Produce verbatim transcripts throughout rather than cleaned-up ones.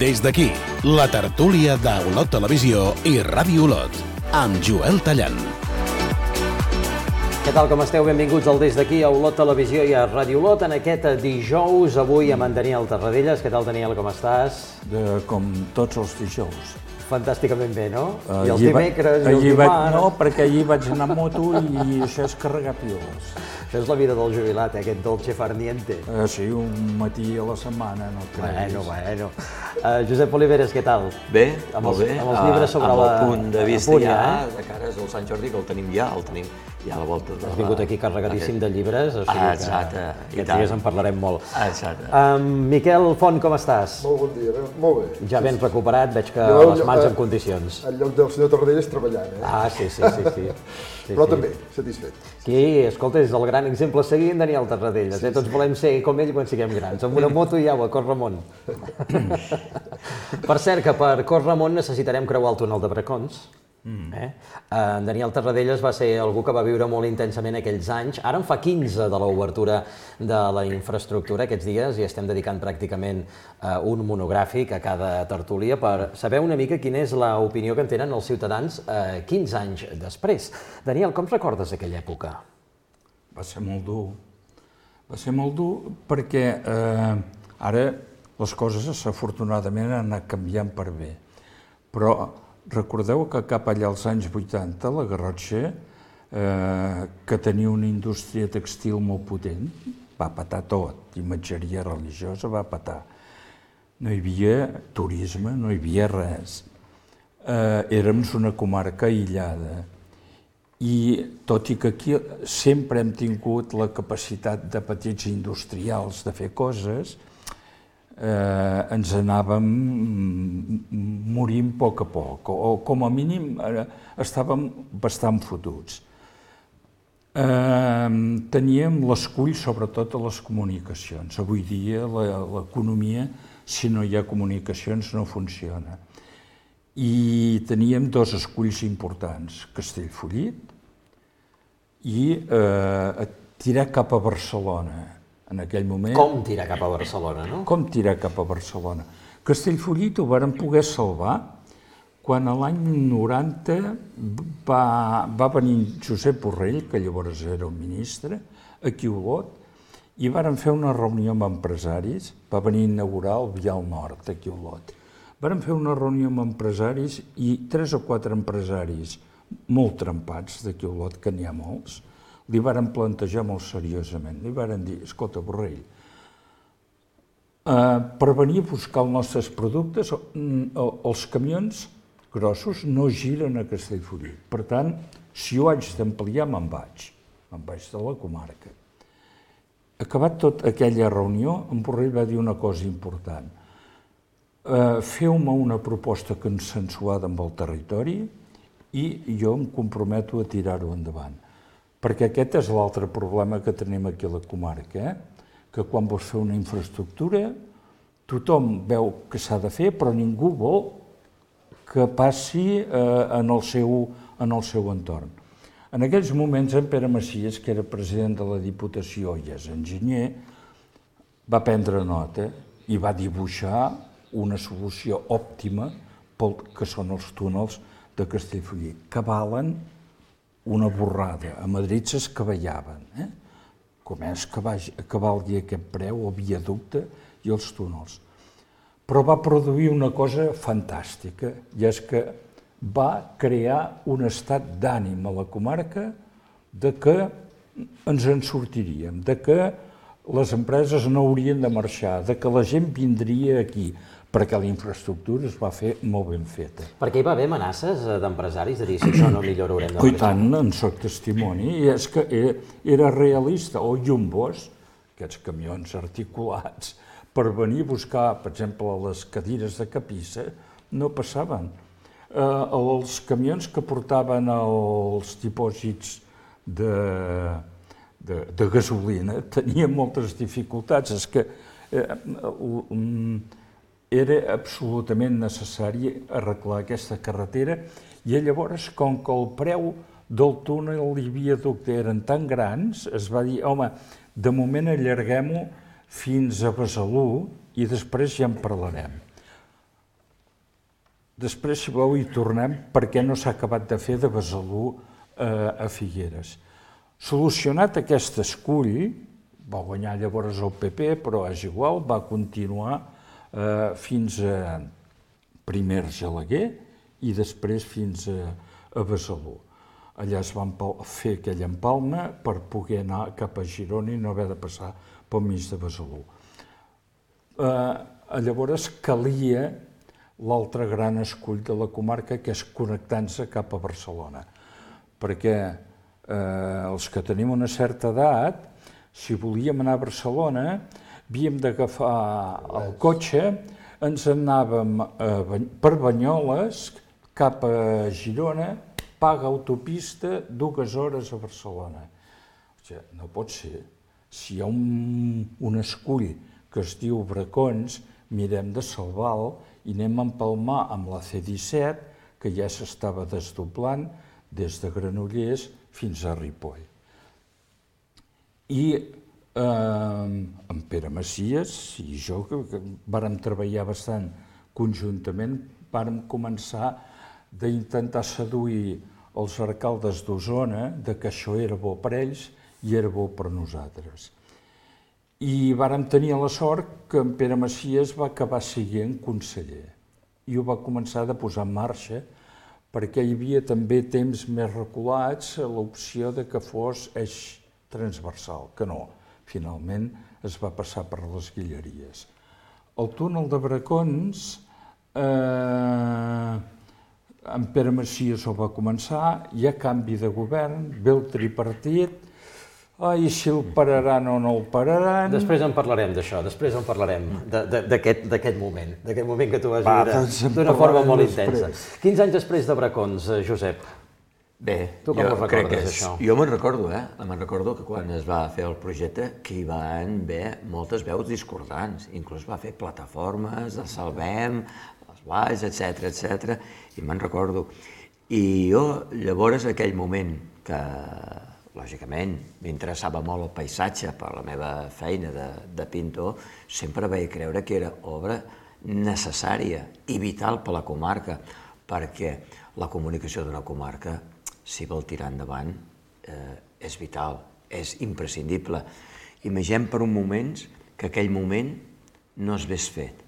Des d'aquí, la tertúlia d'Olot Televisió i Ràdio Olot, amb Joel Tallant. Què tal, com esteu? Benvinguts al Des d'aquí a Olot Televisió i a Ràdio Olot en aquest dijous, avui amb en Daniel Tarradellas. Què tal, Daniel, com estàs? De, com tots els dijous. Fantàsticament bé, no? Uh, I els dimecres, va, i els dimarts... No, perquè allí vaig anar a moto i això és carregar piles. Això és la vida del jubilat, eh? Aquest dolce far niente. Uh, sí, un matí a la setmana, no creguis. Bueno, bueno. Uh, Josep Oliveres, què tal? Bé, amb molt els, bé. Amb els llibres sobre amb la... el punt de vista punt, ja, eh? de cares al Sant Jordi, que el tenim ja, el tenim ja a la volta de la... Has vingut aquí carregadíssim de llibres, o sigui ah, exacte, que aquests dies en parlarem molt. Ah, exacte. Um, Miquel Font, com estàs? Molt bon dia, molt bé. Ja ben recuperat, veig que jo, les mans eh, en condicions. En lloc del senyor Tarradellas treballant, eh? Ah, sí, sí, sí. sí. sí Però sí. també, satisfet. Aquí, escolta, és el gran exemple a seguir en Daniel Tarradellas, eh? Tots volem ser com ell quan siguem grans, amb una moto i au, a córrer amunt. Per cert, que per córrer amunt necessitarem creuar el túnel de Bracons. Mm. Eh? En Daniel Tarradellas va ser algú que va viure molt intensament aquells anys. Ara en fa quinze de l'obertura de la infraestructura aquests dies i estem dedicant pràcticament uh, un monogràfic a cada tertúlia per saber una mica quina és l'opinió que en tenen els ciutadans uh, quinze anys després. Daniel, com recordes aquella època? Va ser molt dur. Va ser molt dur perquè eh, ara les coses afortunadament han anat canviant per bé. Però recordeu que cap allà als anys vuitanta, la Garrotxa, eh, que tenia una indústria textil molt potent, va patar tot, imatgeria religiosa va patar. No hi havia turisme, no hi havia res. Eh, érem una comarca aïllada. I tot i que aquí sempre hem tingut la capacitat de petits industrials de fer coses, Eh, ens anàvem morint a poc a poc, o com a mínim eh, estàvem bastant fotuts. Eh, teníem l'escull sobretot a les comunicacions. Avui dia l'economia, si no hi ha comunicacions, no funciona. I teníem dos esculls importants, Castellfollit i eh, tirar cap a Barcelona. En aquell moment... Com tirar cap a Barcelona, no? Com tirar cap a Barcelona. Castellfollit ho varen poder salvar quan a l'any noranta va, va venir Josep Borrell, que llavors era el ministre, aquí a Olot, i varen fer una reunió amb empresaris, va venir a inaugurar el Vial Nord, aquí a Olot. Varen fer una reunió amb empresaris i tres o quatre empresaris molt trempats d'aquí a Olot, que n'hi ha molts, li varen plantejar molt seriosament. Li varen dir, escolta, Borrell, eh, per venir a buscar els nostres productes, els camions grossos no giren a Castellfollit. Per tant, si ho haig d'ampliar, me'n vaig. Me'n vaig de la comarca. Acabat tot aquella reunió, en Borrell va dir una cosa important. Eh, Feu-me una proposta consensuada amb el territori i jo em comprometo a tirar-ho endavant. Perquè aquest és l'altre problema que tenim aquí a la comarca, eh? Que quan vols fer una infraestructura, tothom veu que s'ha de fer, però ningú vol que passi eh, en, el seu, en el seu entorn. En aquells moments, en Pere Macias, que era president de la Diputació i és enginyer, va prendre nota i va dibuixar una solució òptima pel que són els túnels de Castellfollit, que valen una borrada. A Madrid s'escavellaven. Eh? Com és que, vagi, que valgui aquest preu, el viaducte i els túnels. Però va produir una cosa fantàstica, i és que va crear un estat d'ànim a la comarca de que ens en sortiríem, de que les empreses no haurien de marxar, de que la gent vindria aquí, perquè la infraestructura es va fer molt ben feta. Perquè hi va haver amenaces d'empresaris de dir si això no millora haurem de marxar. I tant, en soc testimoni, i és que era realista. O Jumbos, aquests camions articulats, per venir a buscar, per exemple, les cadires de capissa, no passaven. Eh, els camions que portaven els dipòsits de, de, de gasolina tenien moltes dificultats. És que eh, um, era absolutament necessari arreglar aquesta carretera i llavors, com que el preu del túnel i viaducte eren tan grans, es va dir, home, de moment allarguem-ho fins a Besalú i després ja en parlarem. Després, si voleu, hi tornem perquè no s'ha acabat de fer de Besalú eh, a Figueres. Solucionat aquest escull, va guanyar llavors el P P, però és igual, va continuar eh, fins a primer Argelaguer i després fins a, a Besalú. Allà es van fer aquella empalma per poder anar cap a Girona i no haver de passar pel mig de Besalú. Eh, llavors calia l'altre gran escull de la comarca, que és connectant-se cap a Barcelona. Perquè eh, els que tenim una certa edat, si volíem anar a Barcelona, havíem d'agafar el cotxe, ens anàvem eh, per Banyoles, cap a Girona, paga autopista, dues hores a Barcelona. O sigui, no pot ser. Si hi ha un, un escull que es diu Bracons, mirem de salvar-lo i anem a empalmar amb la C disset, que ja s'estava desdoblant des de Granollers fins a Ripoll. I eh, en Pere Macias i jo, que, que vàrem treballar bastant conjuntament, vàrem començar d'intentar seduir els alcaldes d'Osona de que això era bo per ells i era bo per nosaltres. I vàrem tenir la sort que en Pere Macias va acabar sent conseller i ho va començar a posar en marxa perquè hi havia també temps més reculats a l'opció de que fos eix transversal, que no, finalment es va passar per les Guilleries. El túnel de Bracons, eh, en Pere Macias ho va començar, hi ha canvi de govern, ve el tripartit, ai, si el pararan o no el pararan... Després en parlarem d'això, després en parlarem d'aquest moment, d'aquest moment que tu vas viure d'una forma molt intensa. quinze anys després de Bracons, Josep, bé, tu com ho recordes, això? Jo me'n recordo, eh? Me'n recordo que quan es va fer el projecte que hi van haver moltes veus discordants, inclús va fer plataformes, el Salvem, els Baix, etcètera, etcètera, i me'n recordo. I jo, llavors, aquell moment que, lògicament, m'interessava molt el paisatge per la meva feina de, de pintor, sempre vaig creure que era obra necessària i vital per la comarca, perquè la comunicació d'una comarca, si vol tirar endavant, eh, és vital, és imprescindible. Imaginem per un moment que aquell moment no s'hagués fet.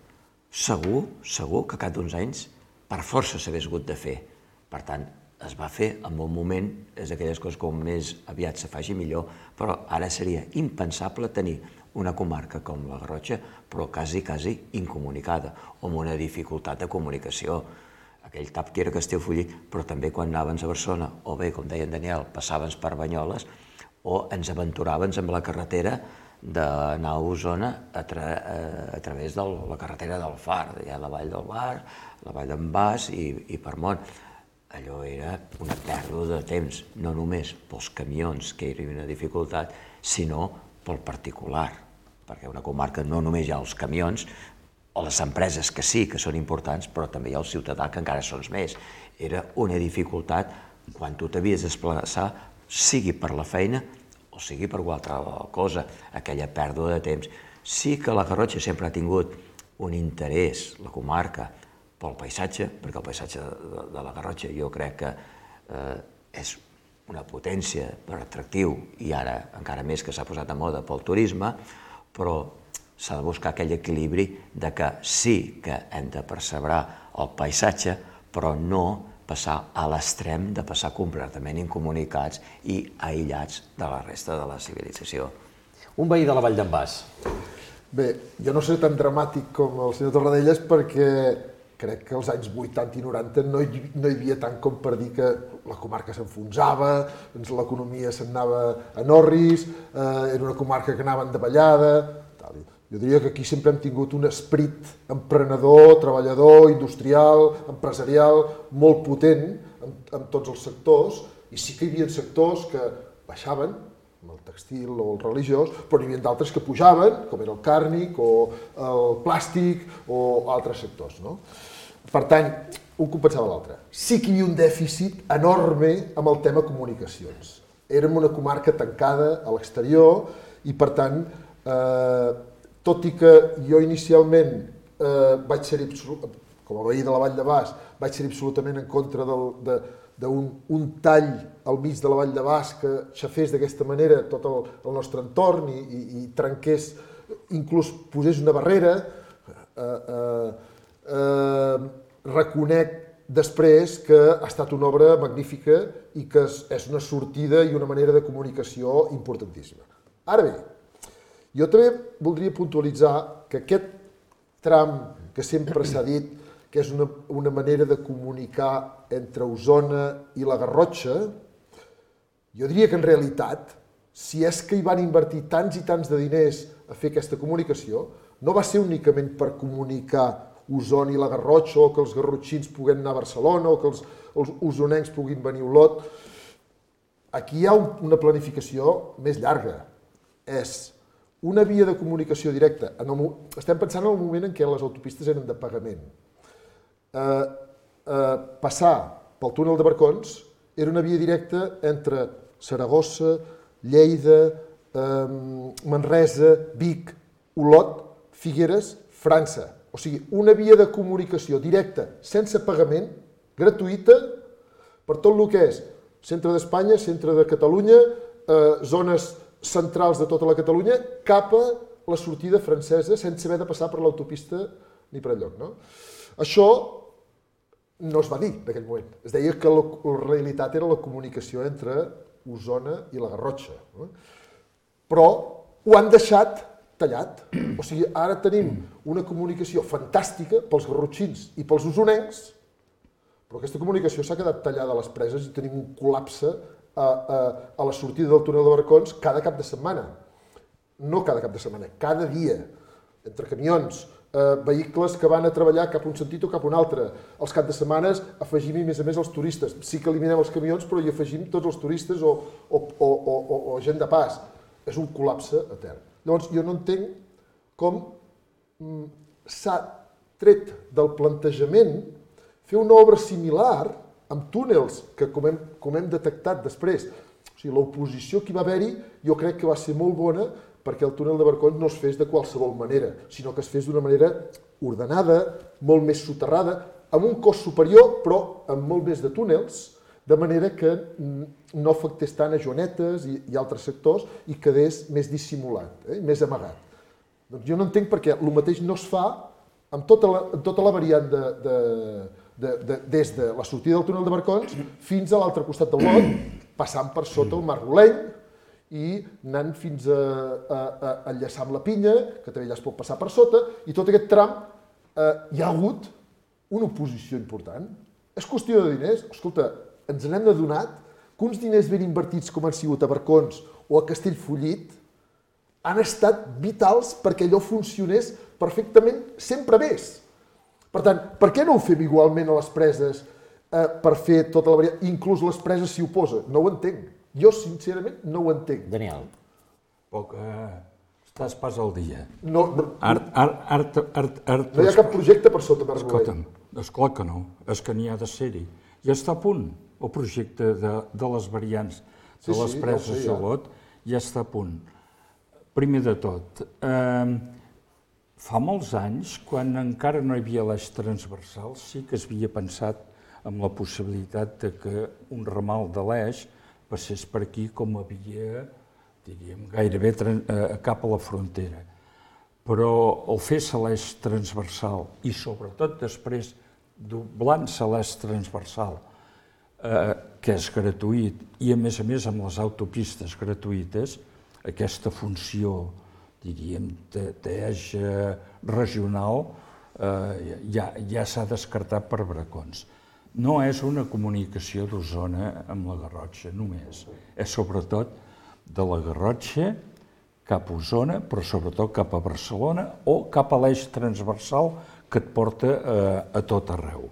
Segur, segur que cada uns anys per força s'hagués hagut de fer. Per tant, es va fer en un moment, és d'aquelles coses com més aviat se faci millor, però ara seria impensable tenir una comarca com la Garrotxa, però quasi, quasi incomunicada, o amb una dificultat de comunicació. Aquell tap que era Castellfollit, però també quan anàvem a Barcelona, o bé, com deia en Daniel, passàvem per Banyoles, o ens aventuràvem amb la carretera d'anar a Osona a, tra a través de la carretera del Far, hi ha la vall del Bar, la vall d'en Bas i, i per Mont. Allò era una pèrdua de temps, no només pels camions, que era una dificultat, sinó pel particular, perquè una comarca no només hi ha els camions, o les empreses que sí, que són importants, però també hi ha el ciutadà, que encara són més. Era una dificultat quan tu t'havies de desplaçar, sigui per la feina o sigui per qualsevol cosa, aquella pèrdua de temps. Sí que la Garrotxa sempre ha tingut un interès, la comarca, pel paisatge, perquè el paisatge de, de la Garrotxa jo crec que eh, és una potència per atractiu i ara encara més que s'ha posat de moda pel turisme, però s'ha de buscar aquell equilibri de que sí que hem de perseverar el paisatge, però no passar a l'extrem de passar completament incomunicats i aïllats de la resta de la civilització. Un veí de la Vall d'en Bas. Bé, jo no seré tan dramàtic com el senyor Torradellas perquè crec que als anys vuitanta i noranta no hi, no hi havia tant com per dir que la comarca s'enfonsava, l'economia se'n anava a Norris, eh, era una comarca que anava en davallada, tal. Jo diria que aquí sempre hem tingut un esperit emprenedor, treballador, industrial, empresarial, molt potent en, en tots els sectors, i sí que hi havia sectors que baixaven, com el textil o el religiós, però n'hi havia d'altres que pujaven, com era el càrnic o el plàstic o altres sectors, no? Per tant, un compensava l'altre. Sí que hi havia un dèficit enorme amb el tema comunicacions. Érem una comarca tancada a l'exterior i, per tant, eh, tot i que jo inicialment eh, vaig ser com a veí de la Vall de Bas, vaig ser absolutament en contra d'un un tall al mig de la Vall de Bas que xafés d'aquesta manera tot el, el nostre entorn i, i, i trenqués, inclús posés una barrera. Eh, eh, eh, reconec després que ha estat una obra magnífica i que és una sortida i una manera de comunicació importantíssima. Ara bé, jo també voldria puntualitzar que aquest tram que sempre s'ha dit que és una, una manera de comunicar entre Osona i la Garrotxa, jo diria que en realitat, si és que hi van invertir tants i tants de diners a fer aquesta comunicació, no va ser únicament per comunicar Osona i la Garrotxa, o que els garrotxins puguen anar a Barcelona, o que els, els osonencs puguin venir a Olot. Aquí hi ha un, una planificació més llarga. És una via de comunicació directa. En el, estem pensant en el moment en què les autopistes eren de pagament. Eh, eh, passar pel túnel de Barcons era una via directa entre Saragossa, Lleida, eh, Manresa, Vic, Olot, Figueres, França. O sigui, una via de comunicació directa, sense pagament, gratuïta, per tot el que és centre d'Espanya, centre de Catalunya, eh, zones centrals de tota la Catalunya, cap a la sortida francesa, sense haver de passar per l'autopista ni per enlloc. No? Això no es va dir en aquell moment. Es deia que la, la realitat era la comunicació entre Osona i la Garrotxa. No? Però ho han deixat tallat. O sigui, ara tenim una comunicació fantàstica pels garrotxins i pels osonencs, però aquesta comunicació s'ha quedat tallada a les preses i tenim un col·lapse a, a, a la sortida del túnel de Barcons cada cap de setmana. No cada cap de setmana, cada dia, entre camions, eh, vehicles que van a treballar cap a un sentit o cap a un altre. Els caps de setmanes afegim, a més a més, els turistes. Sí que eliminem els camions, però hi afegim tots els turistes o, o, o, o, o gent de pas. És un col·lapse etern. Llavors, jo no entenc com s'ha tret del plantejament fer una obra similar amb túnels que, com hem, com hem detectat després, o sigui, l'oposició que hi va haver-hi jo crec que va ser molt bona perquè el túnel de Barcons no es fes de qualsevol manera, sinó que es fes d'una manera ordenada, molt més soterrada, amb un cost superior, però amb molt més de túnels, de manera que no afectés tant a Joanetes i, i altres sectors i quedés més dissimulat, eh, més amagat. Doncs jo no entenc perquè el mateix no es fa amb tota la, amb tota la variant de, de, de, de, des de la sortida del túnel de Barcons fins a l'altre costat del Lot, passant per sota el Mar Roleny i anant fins a, a, a enllaçar amb la Pinya, que també ja es pot passar per sota, i tot aquest tram eh, hi ha hagut una oposició important. És qüestió de diners. Escolta, ens n'hem adonat que uns diners ben invertits com han sigut a Barcons o a Castellfollit han estat vitals perquè allò funcionés perfectament sempre més. Per tant, per què no ho fem igualment a les preses eh, per fer tota la variant? Inclús les preses s'hi oposa. No ho entenc. Jo, sincerament, no ho entenc. Daniel. Poc, eh, estàs pas al dia. No, no, Art, art, art, art, art, no hi ha cap projecte per sota Mar Roleny. Escolta'm, esclar que no, és que n'hi ha de ser-hi. Ja està a punt el projecte de, de les variants de Sí, les sí, preses ja ho sé, de ja. Olot, ja està a punt. Primer de tot, eh, fa molts anys, quan encara no hi havia l'eix transversal, sí que s'havia pensat en la possibilitat de que un ramal de l'eix passés per aquí com havia, diríem, gairebé eh, cap a la frontera. Però el fer-se l'eix transversal i sobretot després doblant-se l'eix transversal, eh, que és gratuït, i a més a més amb les autopistes gratuïtes, aquesta funció, diríem, d'eix regional eh, ja, ja s'ha descartat per Barcons. No és una comunicació d'Osona amb la Garrotxa, només. És sobretot de la Garrotxa cap a Osona, però sobretot cap a Barcelona o cap a l'eix transversal que et porta eh, a tot arreu.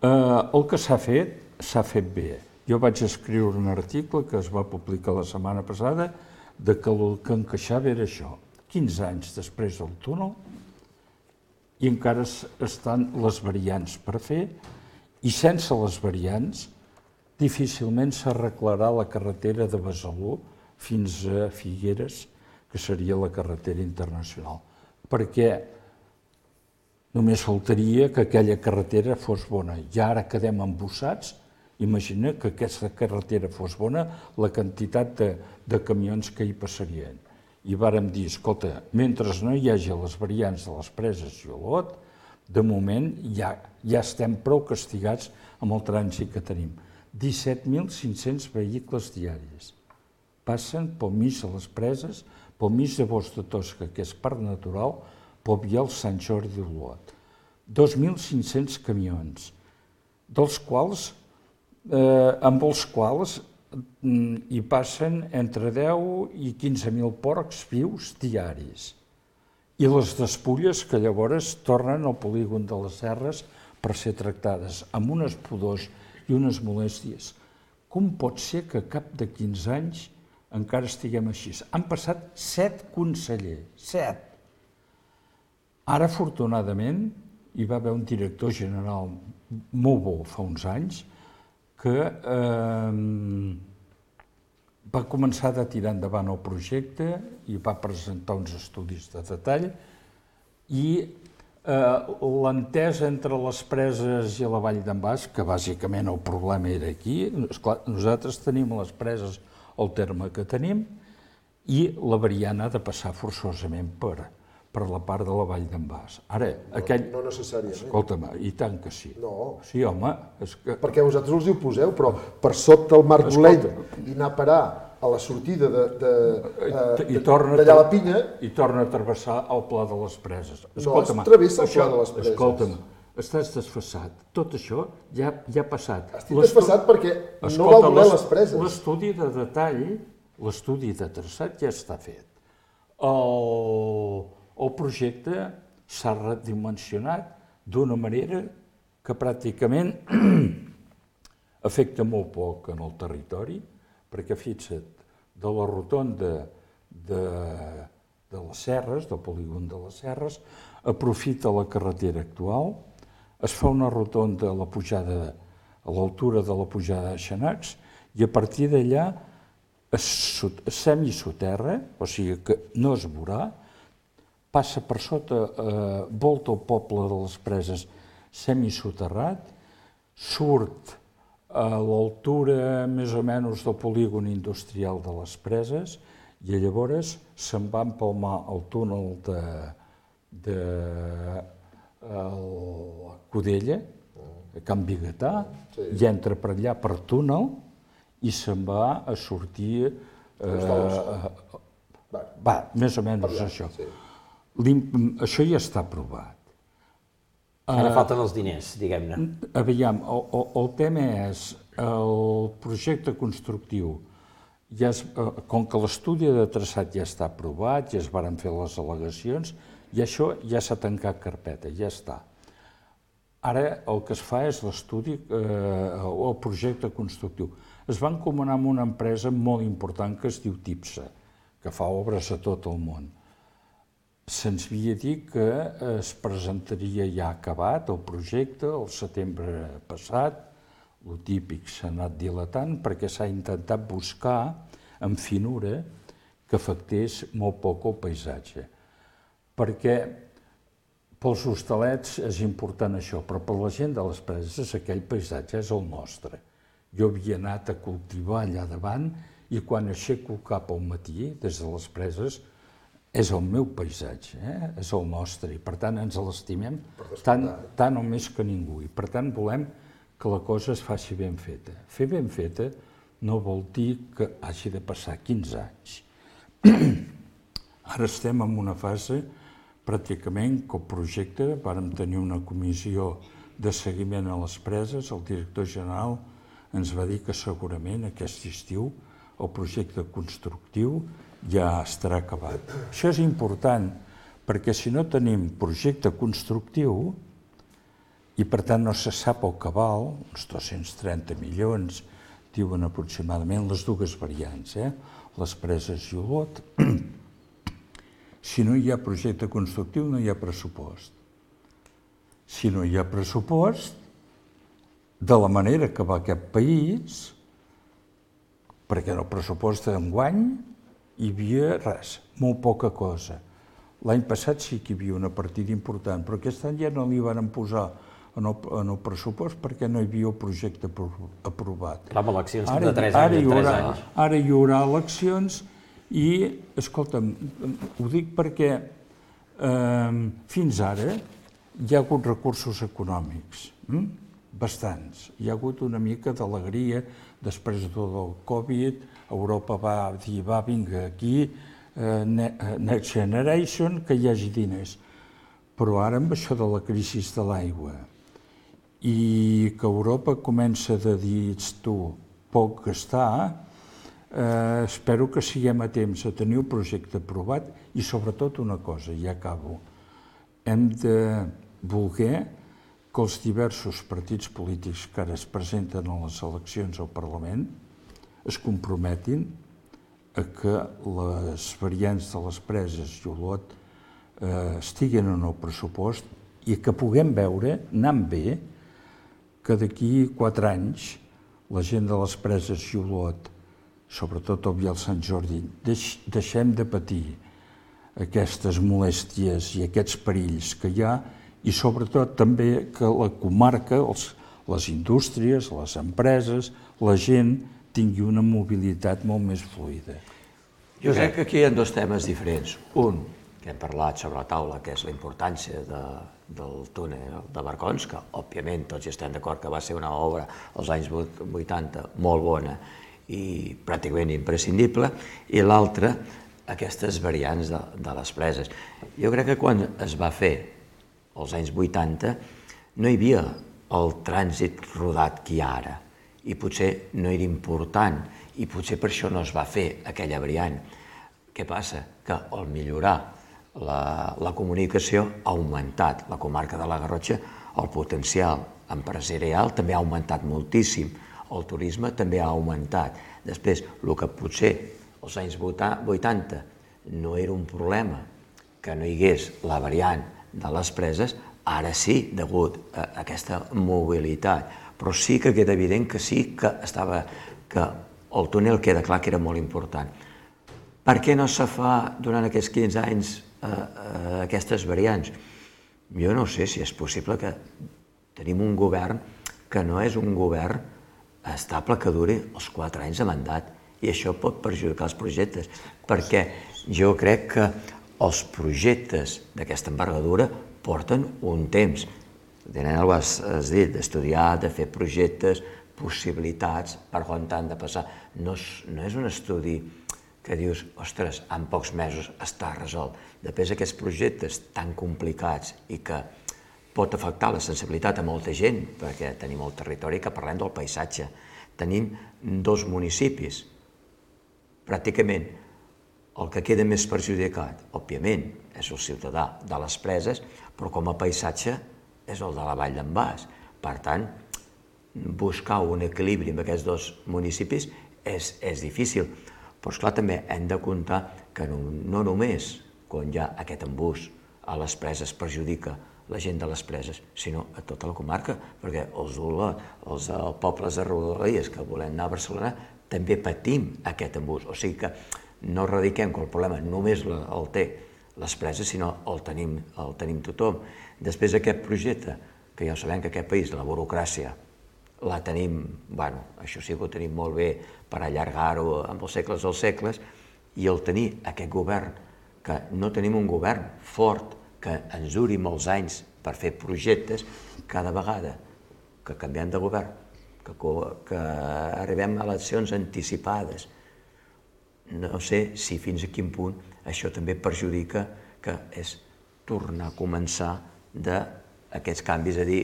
Eh, el que s'ha fet, s'ha fet bé. Jo vaig escriure un article que es va publicar la setmana passada de que el que encaixava era això. quinze anys després del túnel i encara estan les variants per fer i sense les variants difícilment s'arreglarà la carretera de Besalú fins a Figueres, que seria la carretera internacional. Perquè Només faltaria que aquella carretera fos bona. I ara quedem embossats. Imagina que aquesta carretera fos bona, la quantitat de, de camions que hi passarien. I vàrem dir, escolta, mentre no hi hagi les variants de les preses i Olot, de moment ja, ja estem prou castigats amb el trànsit que tenim. disset mil cinc-cents vehicles diaris passen pel mig de les preses, pel mig de Bosc de Tosca, que és parc natural, pel vial Sant Jordi d'Olot. dos mil cinc-cents camions, dels quals, eh, amb els quals mm, hi passen entre deu i quinze mil porcs vius diaris. I les despulles que llavors tornen al polígon de les Serres per ser tractades amb unes pudors i unes molèsties. Com pot ser que cap de quinze anys encara estiguem així? Han passat set consellers, set. Ara, afortunadament, hi va haver un director general molt bo fa uns anys que eh, va començar a tirar endavant el projecte i va presentar uns estudis de detall i eh, l'entesa entre les preses i la Vall d'en Bas, que bàsicament el problema era aquí, esclar, nosaltres tenim les preses al terme que tenim i la variant ha de passar forçosament per, per la part de la Vall d'en Bas. Ara, no, aquell... No necessàriament. Escolta'm, i tant que sí. No. Sí, home. És que... Perquè vosaltres els hi oposeu, però per sota el Marc Dolent i anar a parar a la sortida de, de, de, d'allà a la Pinya... I torna a travessar el Pla de les Preses. No, es travessa el Pla de les Preses. Escolta'm, estàs desfassat. Tot això ja, ja ha passat. Estic desfassat perquè no val voler les preses. L'estudi de detall, l'estudi de traçat ja està fet. El, el projecte s'ha redimensionat d'una manera que pràcticament afecta molt poc en el territori, perquè fixa't, de la rotonda de, de les Serres, del polígon de les Serres, aprofita la carretera actual, es fa una rotonda a la pujada, a l'altura de la pujada de Xanacs, i a partir d'allà es semisoterra, o sigui que no es veurà, passa per sota, eh, volta el poble de les Preses semisoterrat, surt a l'altura més o menys del polígon industrial de les Preses i llavors se'n va empalmar el túnel de, de el Codella, a Can Bigatà, sí. I entra per allà per túnel i se'n va a sortir... Eh, va, més o menys allà, això. Sí. Això ja està aprovat. Ara falten els diners, diguem-ne. Aviam, el, el, el tema és el projecte constructiu. Ja es, com que l'estudi de traçat ja està aprovat, ja es varen fer les al·legacions, i això ja s'ha tancat carpeta, ja està. Ara el que es fa és l'estudi, eh, el projecte constructiu. Es va encomanar amb una empresa molt important que es diu TIPSA, que fa obres a tot el món. Se'ns havia dit que es presentaria ja acabat el projecte el setembre passat. El típic s'ha anat dilatant perquè s'ha intentat buscar amb finura que afectés molt poc el paisatge. Perquè pels hostalets és important això, però per la gent de les Preses aquell paisatge és el nostre. Jo havia anat a cultivar allà davant i quan aixeco el cap al matí, des de les Preses, és el meu paisatge, eh? És el nostre, i per tant ens l'estimem tant, tant o més que ningú. I per tant volem que la cosa es faci ben feta. Fer ben feta no vol dir que hagi de passar quinze anys. Ara estem en una fase pràcticament que el projecte, vàrem tenir una comissió de seguiment a les Preses, el director general ens va dir que segurament aquest estiu el projecte constructiu ja estarà acabat. Això és important, perquè si no tenim projecte constructiu i per tant no se sap el cabal, uns dos-cents trenta milions, diuen aproximadament les dues variants, eh? Les Preses i Olot, si no hi ha projecte constructiu no hi ha pressupost. Si no hi ha pressupost, de la manera que va aquest país, perquè en el pressupost d'enguany hi havia res, molt poca cosa. L'any passat sí que hi havia una partida important, però aquest any ja no li van posar en el, en el pressupost perquè no hi havia el projecte aprovat. Clar, amb eleccions Ara, de tres ara anys hi en tres haurà, anys. Ara hi haurà eleccions i, escolta'm, ho dic perquè eh, fins ara hi ha hagut recursos econòmics, hm? bastants. Hi ha hagut una mica d'alegria després de tot el Covid, Europa va dir, va, vinga, aquí, eh, Next Generation, que hi hagi diners. Però ara amb això de la crisi de l'aigua i que Europa comença a dir, tu, poc gastar, eh, espero que siguem a temps a tenir el projecte aprovat i sobretot una cosa, i ja acabo, hem de voler que els diversos partits polítics que ara es presenten a les eleccions al Parlament es comprometin a que les variants de les preses i Olot eh, estiguen en el pressupost i que puguem veure, anant bé, que d'aquí quatre anys la gent de les preses i Olot, sobretot el Vial Sant Jordi, deix, deixem de patir aquestes molèsties i aquests perills que hi ha i sobretot també que la comarca, els, les indústries, les empreses, la gent tingui una mobilitat molt més fluida. Jo crec que aquí hi ha dos temes diferents. Un, que hem parlat sobre la taula, que és la importància de, del túnel de Barcons, que òbviament tots hi estem d'acord que va ser una obra als anys vuitanta molt bona i pràcticament imprescindible, i l'altre, aquestes variants de, de les preses. Jo crec que quan es va fer als anys vuitanta no hi havia el trànsit rodat que hi ha ara, i potser no era important, i potser per això no es va fer aquella variant. Què passa? Que al millorar la, la comunicació ha augmentat. La comarca de la Garrotxa, el potencial empresarial també ha augmentat moltíssim, el turisme també ha augmentat. Després, el que potser als anys vuitanta no era un problema que no hi hagués la variant de les preses, ara sí, degut a aquesta mobilitat. Però sí que queda evident que sí que estava, que el túnel queda clar que era molt important. Per què no se fa durant aquests quinze anys eh, eh, aquestes variants? Jo no sé si és possible que tenim un govern que no és un govern estable que duri els quatre anys de mandat, i això pot perjudicar els projectes, perquè jo crec que els projectes d'aquesta envergadura porten un temps. Tenen, ho has, has dit, d'estudiar, de fer projectes, possibilitats, per on han de passar. No és, no és un estudi que dius, ostres, en pocs mesos està resolt. Després aquests projectes tan complicats i que pot afectar la sensibilitat a molta gent, perquè tenim el territori que parlem del paisatge. Tenim dos municipis. Pràcticament el que queda més perjudicat, òbviament, és el ciutadà de les preses, però com a paisatge és el de la Vall d'en Bas. Per tant, buscar un equilibri amb aquests dos municipis és, és difícil. Però, esclar, també hem de comptar que no, no només quan hi ha aquest embús a les preses perjudica la gent de les preses, sinó a tota la comarca, perquè els, els, els pobles de Rodalies que volem anar a Barcelona també patim aquest embús. O sigui que no radiquem que el problema només el té les preses, sinó el tenim, el tenim tothom. Després d'aquest projecte, que ja sabem que aquest país, la burocràcia, la tenim, bueno, això sí que ho tenim molt bé per allargar-ho amb els segles dels segles, i el tenir aquest govern, que no tenim un govern fort, que ens duri molts anys per fer projectes, cada vegada que canviem de govern, que, que arribem a eleccions anticipades, no sé si fins a quin punt això també perjudica, que és tornar a començar d'aquests canvis, a dir,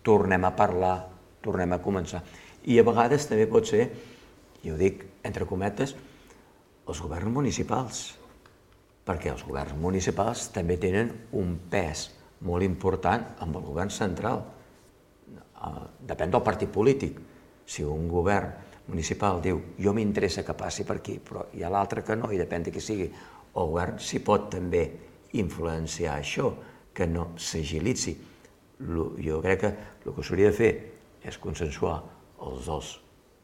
tornem a parlar, tornem a començar. I a vegades també pot ser, i ho dic entre cometes, els governs municipals, perquè els governs municipals també tenen un pes molt important amb el govern central. Depèn del partit polític. Si un govern municipal diu jo m'interessa que passi per aquí, però hi ha l'altre que no, i depèn de qui sigui, el govern s'hi pot també influenciar això, que no s'agilitzi. Jo crec que el que s'hauria de fer és consensuar els dos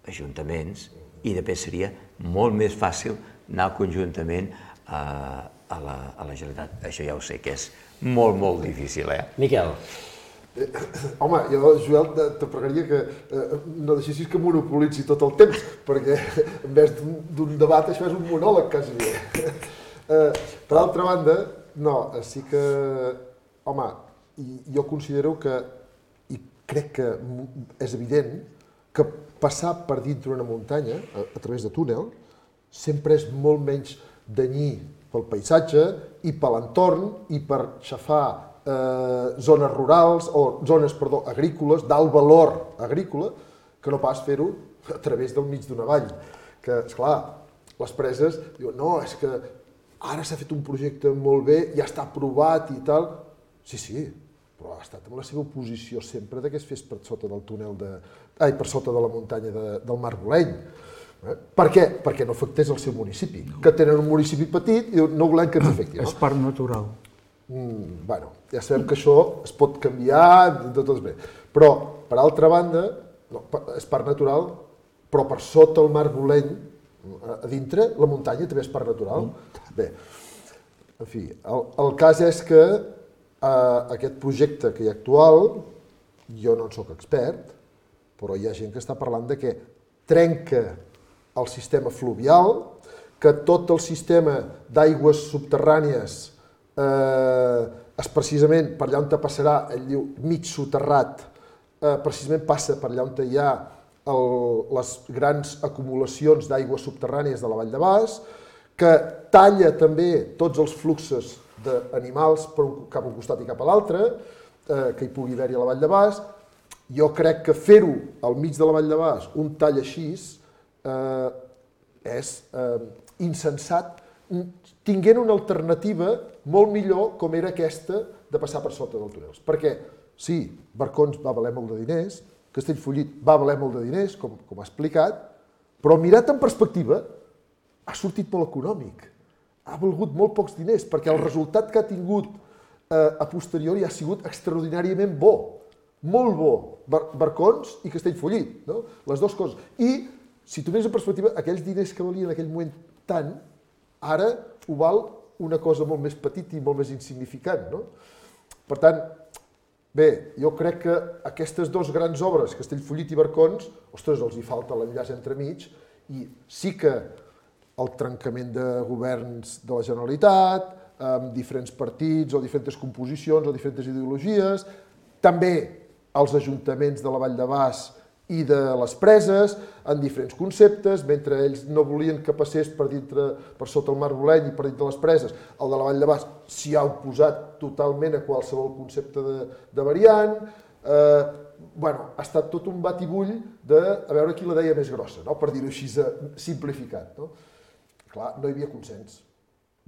ajuntaments i després seria molt més fàcil anar conjuntament a a la, a la Generalitat. Això ja ho sé que és molt, molt difícil, eh? Miquel. Eh, home, jo, Joel, te pregaria que eh, no deixessis que monopolitzi tot el temps, perquè en vez d'un debat això és un monòleg, quasi bé. Eh, per altra banda, no, sí que, home, jo considero que, i crec que és evident, que passar per dintre una muntanya, a, a través de túnel, sempre és molt menys danyí pel paisatge i per l'entorn i per xafar eh, zones rurals o zones, perdó, agrícoles, d'alt valor agrícola, que no pas fer-ho a través del mig d'una vall. Que, esclar, les preses diuen, no, és que ara s'ha fet un projecte molt bé, ja està aprovat i tal. Sí, sí, però ha estat amb la seva oposició sempre de que es fes per sota del túnel de... Ai, per sota de la muntanya de, del Margoleny. Eh? Per què? Perquè no afectés el seu municipi, no. Que tenen un municipi petit i no volem que ens afecti. No? És parc natural. Mm, bueno, ja sabem que això es pot canviar, de tot bé. Però, per altra banda, no, és parc natural, però per sota el Margoleny, a dintre, la muntanya també és parc natural. Mm. Bé, en fi, el, el cas és que eh, aquest projecte que hi ha actual, jo no en soc expert, però hi ha gent que està parlant de que trenca el sistema fluvial, que tot el sistema d'aigües subterrànies eh, és precisament per allà on te passarà, ell diu, mig soterrat, eh, precisament passa per allà on hi ha el, les grans acumulacions d'aigües subterrànies de la Vall de Bas, que talla també tots els fluxos d'animals per un, cap a un costat i cap a l'altre, eh, que hi pugui haver-hi a la Vall de Bas. Jo crec que fer-ho al mig de la Vall de Bas, un tall així, eh, és eh, insensat, tinguent una alternativa molt millor com era aquesta de passar per sota dels túnels. Perquè, sí, Barcons va valer molt de diners, Castellfollit va valer molt de diners, com, com ha explicat, però mirat en perspectiva ha sortit molt econòmic. Ha valgut molt pocs diners, perquè el resultat que ha tingut eh, a posteriori ha sigut extraordinàriament bo. Molt bo, Bar Barcons i Castellfollit, no? Les dues coses. I, si tu mires en perspectiva, aquells diners que valien en aquell moment tant, ara ho val una cosa molt més petita i molt més insignificant, no? Per tant, bé, jo crec que aquestes dues grans obres, Castellfollit i Barcons, ostres, els hi falta l'enllaç entremig, i sí que el trencament de governs de la Generalitat, amb diferents partits o diferents composicions o diferents ideologies, també els ajuntaments de la Vall de Bas i de les Preses, en diferents conceptes, mentre ells no volien que passés per, dintre, per sota el Margoleny i per dintre les Preses, el de la Vall de Bas s'hi ha oposat totalment a qualsevol concepte de, de variant. Eh, bueno, ha estat tot un batibull de a veure qui la deia més grossa, no? Per dir-ho així simplificat. No? Clar, no hi havia consens,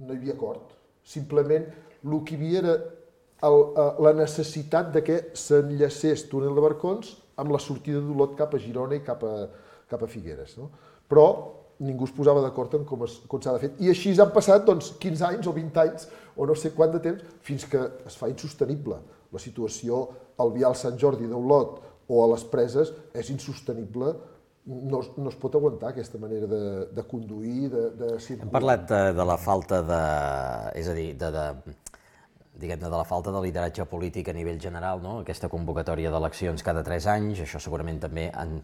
no hi havia acord. Simplement el que hi havia era el, la necessitat de que s'enllacés túnel de Barcons amb la sortida d'Olot cap a Girona i cap a, cap a Figueres. No? Però ningú es posava d'acord en com s'ha de fer. I així han passat doncs, quinze anys o vint anys, o no sé quant de temps, fins que es fa insostenible. La situació al vial Sant Jordi d'Olot o a les Preses és insostenible. No, no es pot aguantar aquesta manera de, de conduir, de, de circular. Hem parlat de, de la falta de... és a dir, de... de diguem-ne, de la falta de lideratge polític a nivell general, no? Aquesta convocatòria d'eleccions cada tres anys, això segurament també, en,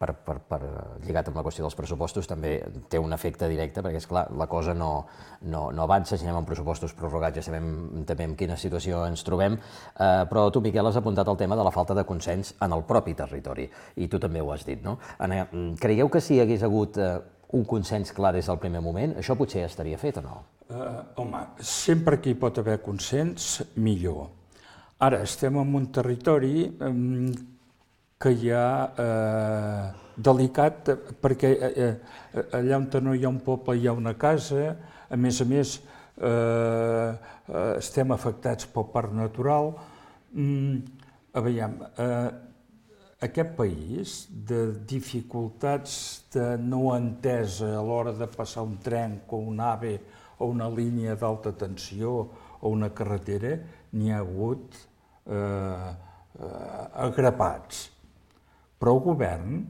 per, per, per, lligat amb la qüestió dels pressupostos, també té un efecte directe, perquè, esclar, la cosa no, no, no avança, si anem amb pressupostos prorrogats, ja sabem també en quina situació ens trobem, eh, però tu, Miquel, has apuntat el tema de la falta de consens en el propi territori, i tu també ho has dit, no? Creieu que si hi hagués hagut eh, un consens clar des del primer moment, això potser ja estaria fet o no? Uh, home, sempre que hi pot haver consens, millor. Ara, estem en un territori um, que hi ha uh, delicat, perquè uh, uh, allà on no hi ha un poble hi ha una casa, a més a més uh, uh, estem afectats pel parc natural. Um, a veure, uh, aquest país, de dificultats de no entesa a l'hora de passar un tren o un AVE o una línia d'alta tensió o una carretera, n'hi ha hagut eh, eh, agrapats. Però el govern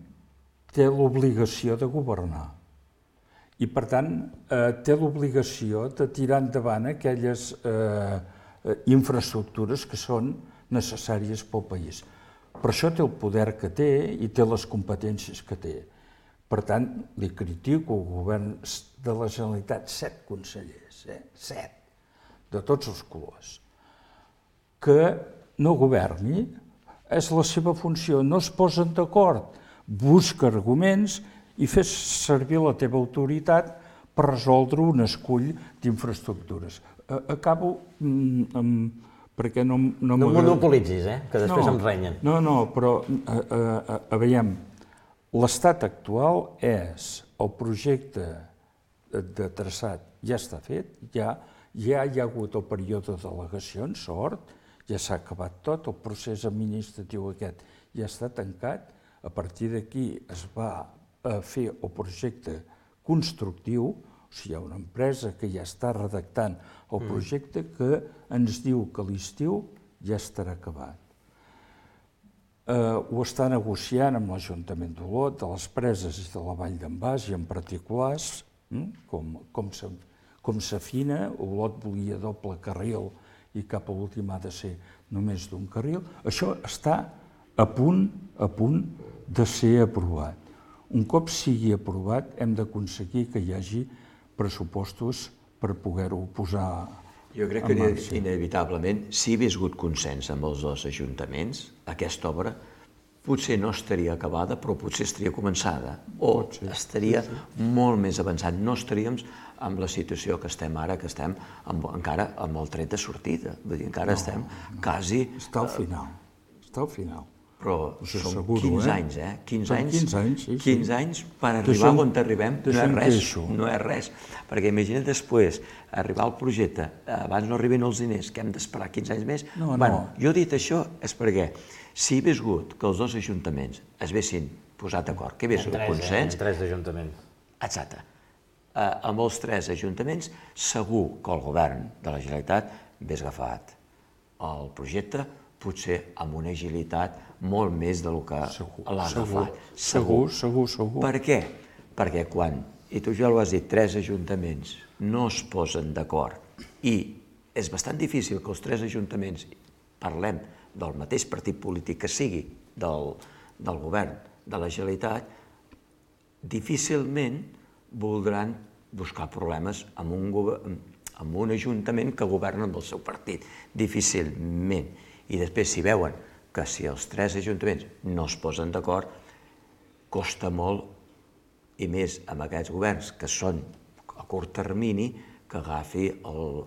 té l'obligació de governar. I, per tant, eh, té l'obligació de tirar endavant aquelles eh, infraestructures que són necessàries pel país. Per això té el poder que té i té les competències que té. Per tant, li critico al govern de la Generalitat, set consellers, eh? set, de tots els colors, que no governi, és la seva funció, no es posen d'acord, busca arguments i fes servir la teva autoritat per resoldre un escull d'infraestructures. Acabo amb... perquè no... No, no monopolitzis, eh? Que després no, em renyen. No, no, però, a, a, a veiem, l'estat actual és el projecte de traçat ja està fet, ja, ja hi ha hagut el període de delegacions, sort, ja s'ha acabat tot, el procés administratiu aquest ja està tancat, a partir d'aquí es va fer el projecte constructiu, o sigui, hi ha una empresa que ja està redactant el projecte que ens diu que a l'estiu ja estarà acabat. Ho està negociant amb l'Ajuntament d'Olot, de les Preses i de la Vall d'en Bas, i en particulars, com s'afina. Olot volia doble carril i cap a l'últim ha de ser només d'un carril. Això està a punt, a punt de ser aprovat. Un cop sigui aprovat, hem d'aconseguir que hi hagi pressupostos per poder-ho posar en marxa. Jo crec que inevitablement, si hi hagués hagut consens amb els dos ajuntaments, aquesta obra potser no estaria acabada, però potser estaria començada, o estaria molt més avançat. No estaríem en la situació que estem ara, que estem encara amb el tret de sortida. Vull dir, encara estem quasi... Està al final, està al final. Però són quinze anys, eh? quinze anys, quinze anys per arribar on arribem, no és res, no és res. Perquè imagina't després arribar al projecte, abans no arriben els diners, que hem d'esperar quinze anys més. Bueno, jo he dit això és perquè si hi hagués hagut que els dos ajuntaments es haguessin posat d'acord, que hi hagués hagut consens... Tres ajuntaments. Exacte. Amb els tres ajuntaments segur que el govern de la Generalitat hagués agafat el projecte, potser amb una agilitat molt més del que l'ha agafat. Segur, segur, segur. Per què? Perquè quan, i tu ja ho has dit, tres ajuntaments no es posen d'acord i és bastant difícil que els tres ajuntaments parlem del mateix partit polític que sigui del, del govern de la Generalitat, difícilment voldran buscar problemes amb un, amb un ajuntament que governa amb el seu partit. Difícilment. I després, si veuen que si els tres ajuntaments no es posen d'acord, costa molt, i més amb aquests governs que són a curt termini, que agafi el,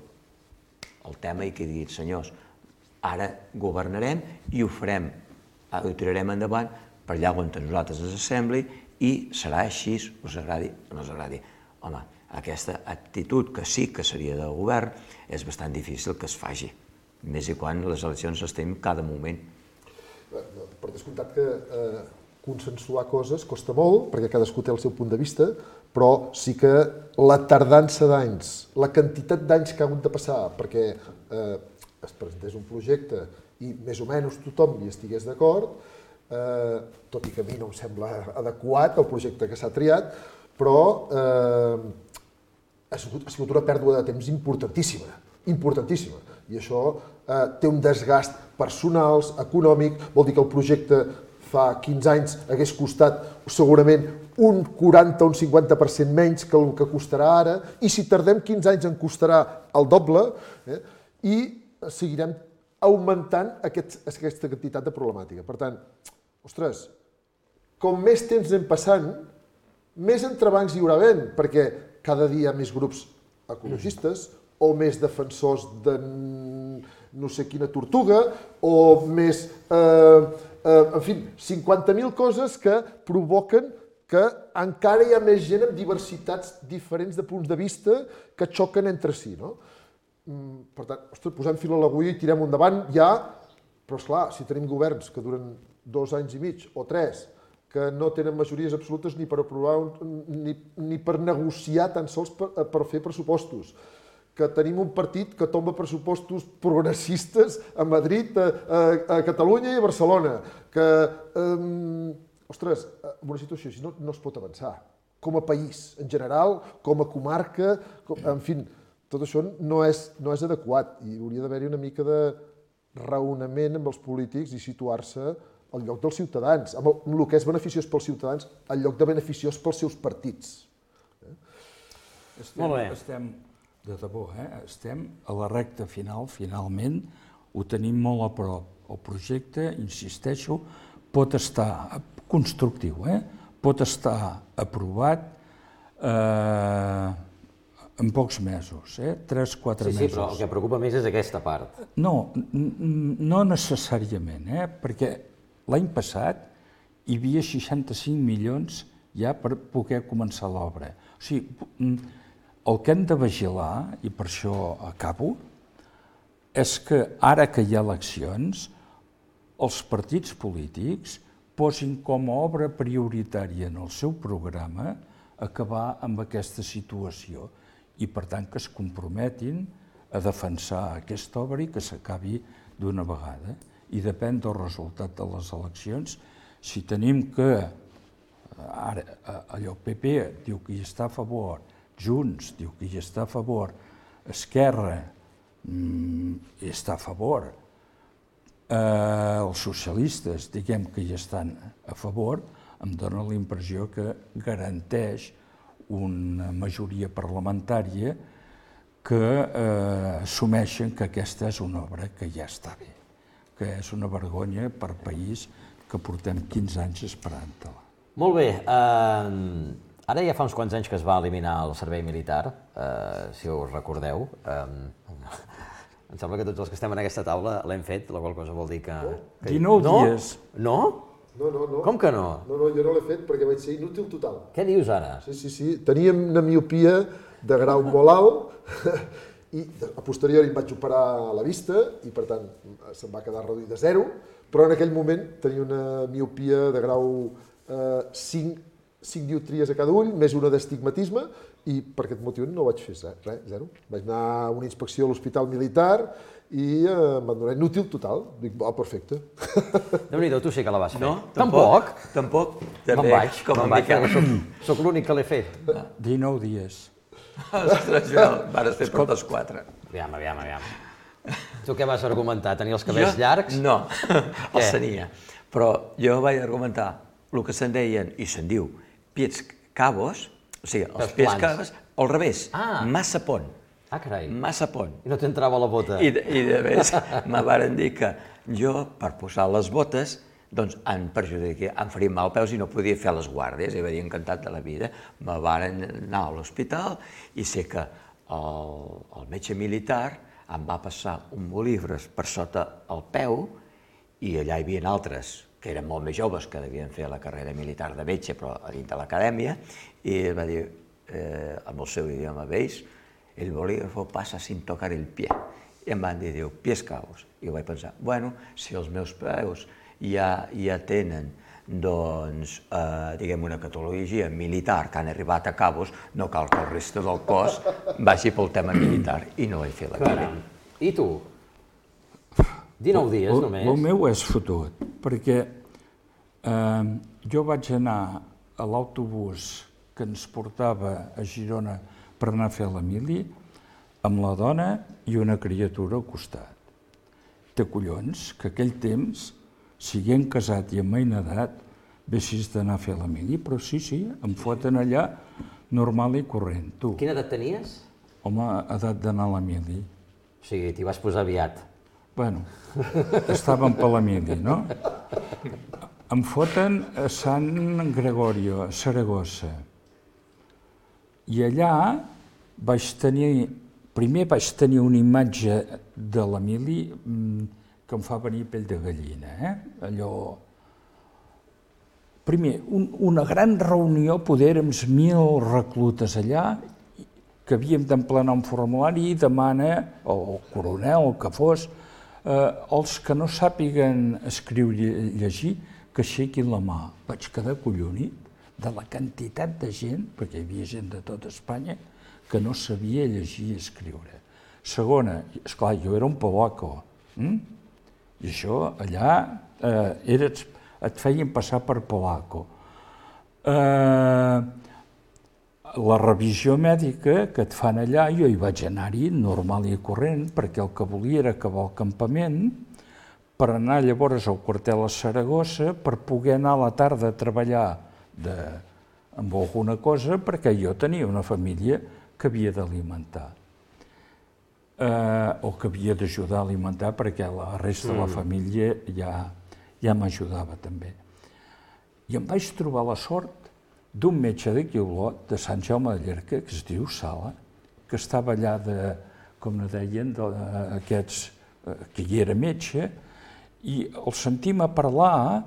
el tema i que diguin, senyors, ara governarem i ho farem, ho tirarem endavant per allà on a nosaltres ens sembli i serà així, us agradi o no us agradi. Home, aquesta actitud que sí que seria del govern és bastant difícil que es faci. Més i quan les eleccions estem cada moment. Per descomptat que eh, consensuar coses costa molt, perquè cadascú té el seu punt de vista, però sí que la tardança d'anys, la quantitat d'anys que ha hagut de passar perquè eh, es presentés un projecte i més o menys tothom hi estigués d'acord, eh, tot i que a mi no em sembla adequat el projecte que s'ha triat, però eh, ha sigut, ha sigut una pèrdua de temps importantíssima, importantíssima. I això eh, té un desgast personal, econòmic, vol dir que el projecte fa quinze anys hagués costat segurament un quaranta o un cinquanta per cent menys que el que costarà ara, i si tardem quinze anys en costarà el doble, eh, i seguirem augmentant aquest, aquesta quantitat de problemàtica. Per tant, ostres, com més temps anem passant, més entrebancs hi haurà havent, perquè cada dia hi ha més grups ecologistes, o més defensors de no sé quina tortuga, o més, eh, eh, en fi, cinquanta mil coses que provoquen que encara hi ha més gent amb diversitats diferents de punts de vista que xoquen entre si, no? Per tant, ostres, posem fil a l'agulla i tirem endavant ja, però esclar, si tenim governs que duren dos anys i mig o tres, que no tenen majories absolutes ni per aprovar, ni, ni per negociar tan sols per, per fer pressupostos, que tenim un partit que tomba pressupostos progressistes a Madrid, a, a, a Catalunya i a Barcelona, que, um, ostres, en una situació així no, no es pot avançar. com a país en general, com a comarca, com, en fi, tot això no és, no és adequat i hauria d'haver-hi una mica de raonament amb els polítics i situar-se al lloc dels ciutadans, amb el, amb el que és beneficiós pels ciutadans, al lloc de beneficiós pels seus partits. Estem, Molt bé. Estem, de debò, eh? estem a la recta final, finalment, ho tenim molt a prop. El projecte, insisteixo, pot estar constructiu, eh? pot estar aprovat eh, en pocs mesos, eh? tres, quatre sí, mesos. Sí, però el que preocupa més és aquesta part. No, no necessàriament, eh? perquè l'any passat hi havia seixanta-cinc milions ja per poder començar l'obra. O sigui, el que hem de vigilar, i per això acabo, és que ara que hi ha eleccions, els partits polítics posin com a obra prioritària en el seu programa acabar amb aquesta situació i, per tant, que es comprometin a defensar aquesta obra i que s'acabi d'una vegada. I depèn del resultat de les eleccions. Si tenim que, ara, allò, P P diu que hi està a favor, Junts diu que hi està a favor, Esquerra mmm, hi està a favor, eh, els socialistes diguem que hi estan a favor, em dóna la impressió que garanteix una majoria parlamentària que eh, assumeixen que aquesta és una obra que ja està bé, que és una vergonya per país que portem quinze anys esperant-la. Molt bé, eh, ara ja fa uns quants anys que es va eliminar el servei militar, eh, si us recordeu. Eh, em sembla que tots els que estem en aquesta taula l'hem fet, la qual cosa vol dir que... que... dinou no? dies. No? No, no, no. Com que no? No, no, jo no l'he fet perquè vaig ser inútil total. Què dius ara? Sí, sí, sí. Teníem una miopia de grau molt alt i a posteriori em vaig operar a la vista i per tant se'm va quedar reduït a zero, però en aquell moment tenia una miopia de grau eh, cinc, cinc dioptries a cada ull, més una d'astigmatisme i per aquest motiu no vaig fer res, zero. Vaig anar a una inspecció a l'Hospital Militar i eh, em van donar inútil total. Dic, va, perfecte. Déu-n'hi-do, tu sí que la vas fer. No, tampoc. Tampoc. Me'n vaig, com me'n vaig, soc, soc l'únic que l'he fet. dinou dies. Ostres, Joel, vas fer per dos quatre. Aviam, aviam, aviam. Tu què vas argumentar? Tenir els cabells jo? llargs? No, els tenia. Però jo vaig argumentar el que se'n deien, i se'n diu, pieds cabos, o sigui, els pieds cabos, al revés, ah. massa pont. Ah, carai. Massa pont. I no t'entrava la bota. I, i de més, me varen dir que jo, per posar les botes, doncs em perjudiquia, em faria mal peus i no podia fer les guàrdies, i varia encantat de la vida. Me varen anar a l'hospital i sé que el, el metge militar em va passar un bolígraf per sota el peu i allà hi havia altres que eren molt més joves, que devien fer la carrera militar de metge, però a dins de l'acadèmia, i va dir, eh, amb el seu idioma, veis, el bolígrafo passa sin tocar el pie. I em van dir, diu, pies cabos. I vaig pensar, bueno, si els meus peus ja, ja tenen, doncs, eh, diguem, una catalogia militar que han arribat a cabos, no cal que el resta del cos vagi pel tema militar. I no vaig fer la cara. I tu? dinou dies, el, només? El meu és fotut, perquè eh, jo vaig anar a l'autobús que ens portava a Girona per anar a fer la mili amb la dona i una criatura al costat. Té collons que aquell temps, siguent casat i amb feina d'edat, vessis d'anar a fer la mili, però sí, sí, em foten allà normal i corrent. Tu, Quina edat tenies? home, edat d'anar a la mili. O sigui, t'hi vas posar aviat. Bueno, estàvem per la mili, no? Em foten a Sant Gregorio, a Saragossa. I allà vaig tenir, primer vaig tenir una imatge de la mili que em fa venir pell de gallina, eh? Allò... Primer, un, una gran reunió, poder érem mil reclutes allà, que havíem d'emplenar un formulari i demana, el coronel, el que fos, eh, els que no sàpiguen escriure i llegir, que aixequin la mà. Vaig quedar collonit de la quantitat de gent, perquè hi havia gent de tota Espanya, que no sabia llegir i escriure. Segona, esclar, jo era un polaco, hm? i això allà eh, eres, et feien passar per polaco. Eh, la revisió mèdica que et fan allà, jo hi vaig anar-hi normal i corrent, perquè el que volia era acabar el campament, per anar llavors al quartel a Saragossa, per poder anar a la tarda a treballar de, amb alguna cosa, perquè jo tenia una família que havia d'alimentar. Eh, o que havia d'ajudar a alimentar, perquè la resta de la família ja, ja m'ajudava també. I em vaig trobar la sort d'un metge d'aquí a Olot, de Sant Jaume de Llierca, que es diu Sala, que estava allà de, com ne deien, d'aquests, que hi era metge, i el sentim a parlar,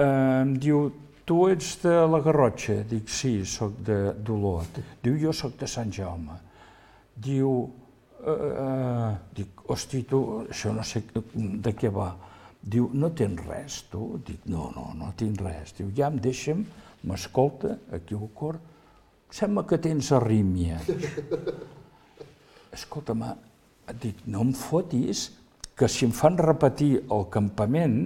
eh, em diu, tu ets de la Garrotxa? Dic, sí, soc d'Olot. Diu, jo soc de Sant Jaume. Diu, eh, dic, hosti, tu, això no sé de què va. Diu, no tens res, tu? Dic, no, no, no tinc res. Diu, ja em deixa'm, m'escolta, aquí al cor, sembla que tens arrítmia. Escolta'm, dic, no em fotis que si em fan repetir el campament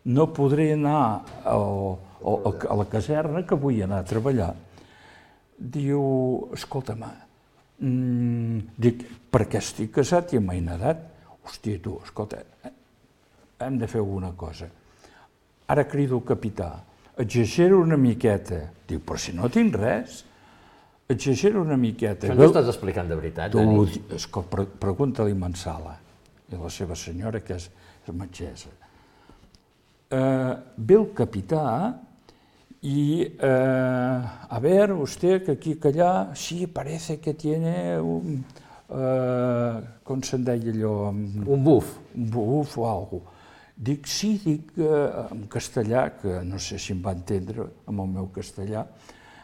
no podré anar al, al, a la caserna que vull anar a treballar. Diu, escolta'm, mm, dic, perquè estic casat i amb edat. Hòstia, tu, escolta, hem de fer alguna cosa. Ara crido el capità, exagero una miqueta. Diu, però si no tinc res, exagero una miqueta. Això ens ho estàs explicant de veritat, Dani? Escolta, pregunta-li a Mansala i a la seva senyora, que és metgessa. Uh, ve el capità y, uh, a ver, usted que aquí que allá, sí, parece que tiene un, uh, com se'n deia allò? Un buf. Un buf o alguna cosa. Dic, sí, dic uh, en castellà, que no sé si em va entendre amb el meu castellà,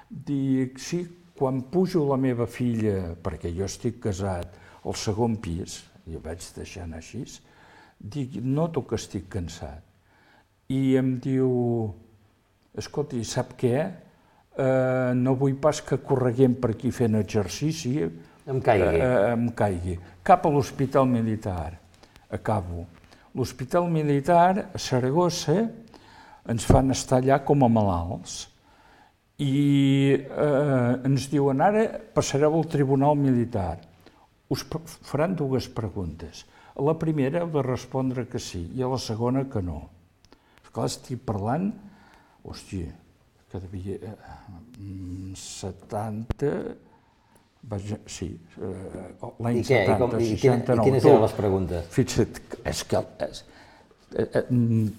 dic, sí, quan pujo la meva filla, perquè jo estic casat, al segon pis, i ho vaig deixant així, dic, noto que estic cansat. I em diu, escolti, sap què? Eh, no vull pas que correguem per aquí fent exercici. Em caigui. Eh, em caigui. Cap a l'Hospital Militar. Acabo. L'Hospital Militar, a Saragossa, ens fan estar allà com a malalts. I eh, ens diuen, ara passareu al Tribunal Militar. Us faran dues preguntes. A la primera heu de respondre que sí, i a la segona que no. Clar, estic parlant, hòstia, que devia... setanta... Sí, l'any setanta, seixanta-nou. I quines eren les preguntes? Fixa't, és que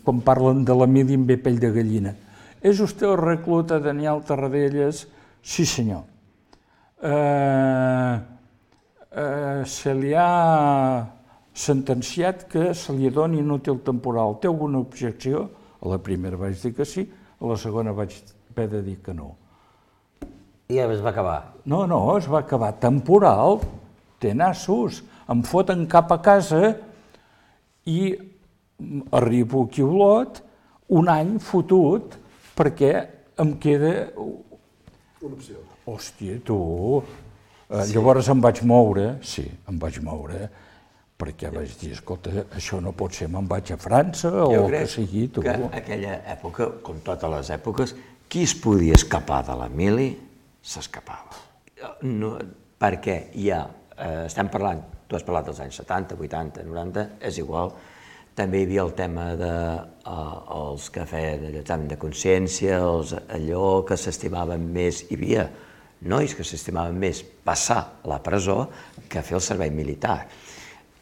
quan parlen de la mili em ve pell de gallina. ¿Es usted el recluta Daniel Tarradellas? Sí, senyor. Eh, eh, se li ha sentenciat que se li doni inútil temporal. Té alguna objecció? A la primera vaig dir que sí, a la segona vaig haver de dir que no. I es va acabar? No, no, es va acabar. Temporal, té nassos, em foten cap a casa i arribo aquí a Olot un any fotut perquè em queda... Una opció. Hòstia, tu... Llavors em vaig moure, sí, em vaig moure, perquè vaig dir, escolta, això no pot ser, me'n vaig a França o el que sigui, tu. Jo crec que aquella època, com totes les èpoques, qui es podia escapar de la mili, s'escapava. No, perquè hi ha, eh, estem parlant, tu has parlat dels anys setanta, vuitanta, noranta, és igual, també hi havia el tema dels que feien l'examen de consciència, allò que s'estimaven més, hi havia nois que s'estimaven més passar a la presó que fer el servei militar.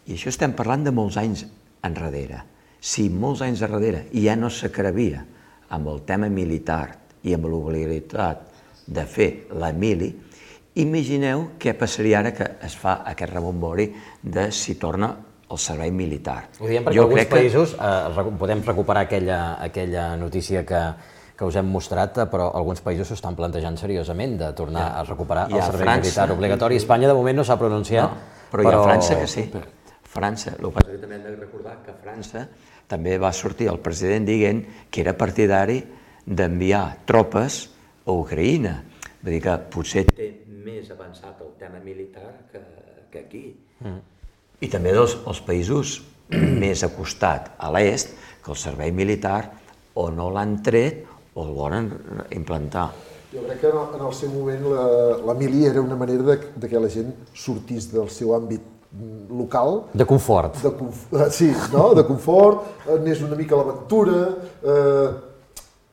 I això estem parlant de molts anys enrere. Si molts anys enrere ja no s'acrevia amb el tema militar i amb l'obligativitat de fer la mili, imagineu què passaria ara que es fa aquest rebombori de si torna al servei militar. Ho diem perquè alguns països, podem recuperar aquella notícia que que us hem mostrat, però alguns països s'estan plantejant seriosament de tornar a recuperar el servei militar obligatori. Espanya, de moment, no s'ha pronunciat. Però hi ha França que sí. França, el que passa que també hem de recordar que a França també va sortir el president dient que era partidari d'enviar tropes a Ucraïna. Vull dir que potser té més avançat el tema militar que aquí. I també dels països més acostat a l'est, que el servei militar o no l'han tret o el volen implantar. Jo crec que en el, en el seu moment la, la mili era una manera de, de que la gent sortís del seu àmbit local. De confort. De conf... Sí, no? De confort, anés una mica a l'aventura, eh,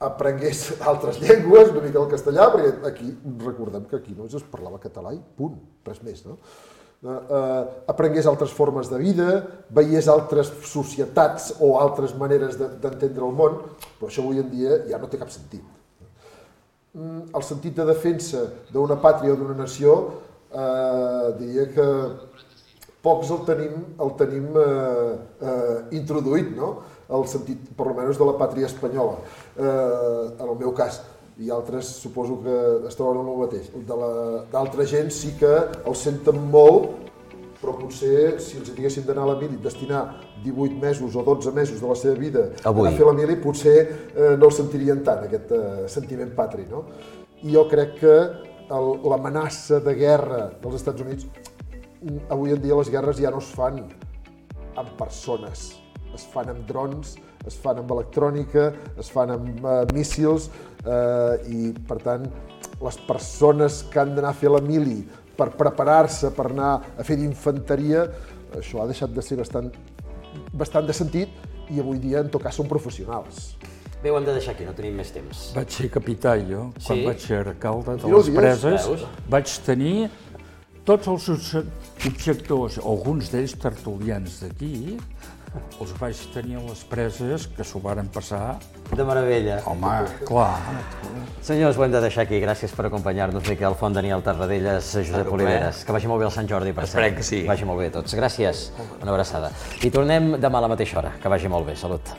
aprengués altres llengües, una mica el castellà, perquè aquí, recordem que aquí només es parlava català i punt, res més, no? Uh, uh, aprengués altres formes de vida, veiés altres societats o altres maneres d'entendre el món, però això avui en dia ja no té cap sentit. Mm, el sentit de defensa d'una pàtria o d'una nació, uh, diria que pocs el tenim, el tenim uh, uh, introduït, no? El sentit, per almenys, de la pàtria espanyola, uh, en el meu cas. I altres suposo que es troben amb el mateix. D'altra gent sí que el senten molt, però potser si els diguessin d'anar a la mili, destinar divuit mesos o dotze mesos de la seva vida Avui. a fer la mili, potser eh, no el sentirien tant, aquest eh, sentiment patri, no? I jo crec que l'amenaça de guerra dels Estats Units, avui en dia les guerres ja no es fan amb persones, es fan amb drons, es fan amb electrònica, es fan amb uh, míssils, eh, i per tant les persones que han d'anar a fer la mili per preparar-se, per anar a fer d'infanteria, això ha deixat de ser bastant, bastant de sentit i avui dia en tot cas són professionals. Bé, ho hem de deixar aquí, no tenim més temps. Vaig ser capità jo, quan Sí? vaig ser alcalde de Aquí no les ho dius, preses, veus? vaig tenir tots els obje- objectors, alguns d'ells tertulians d'aquí, els vaig tenir a les preses que s'ho varen passar. De meravella. Home, clar. Senyors, ho hem de deixar aquí. Gràcies per acompanyar-nos. Miquel Font, Daniel Tarradellas, Josep Un Oliveres. Que vagi molt bé el Sant Jordi, per Esperem cert. que sí. Vagi molt bé a tots. Gràcies. Una abraçada. I tornem demà a la mateixa hora. Que vagi molt bé. Salut.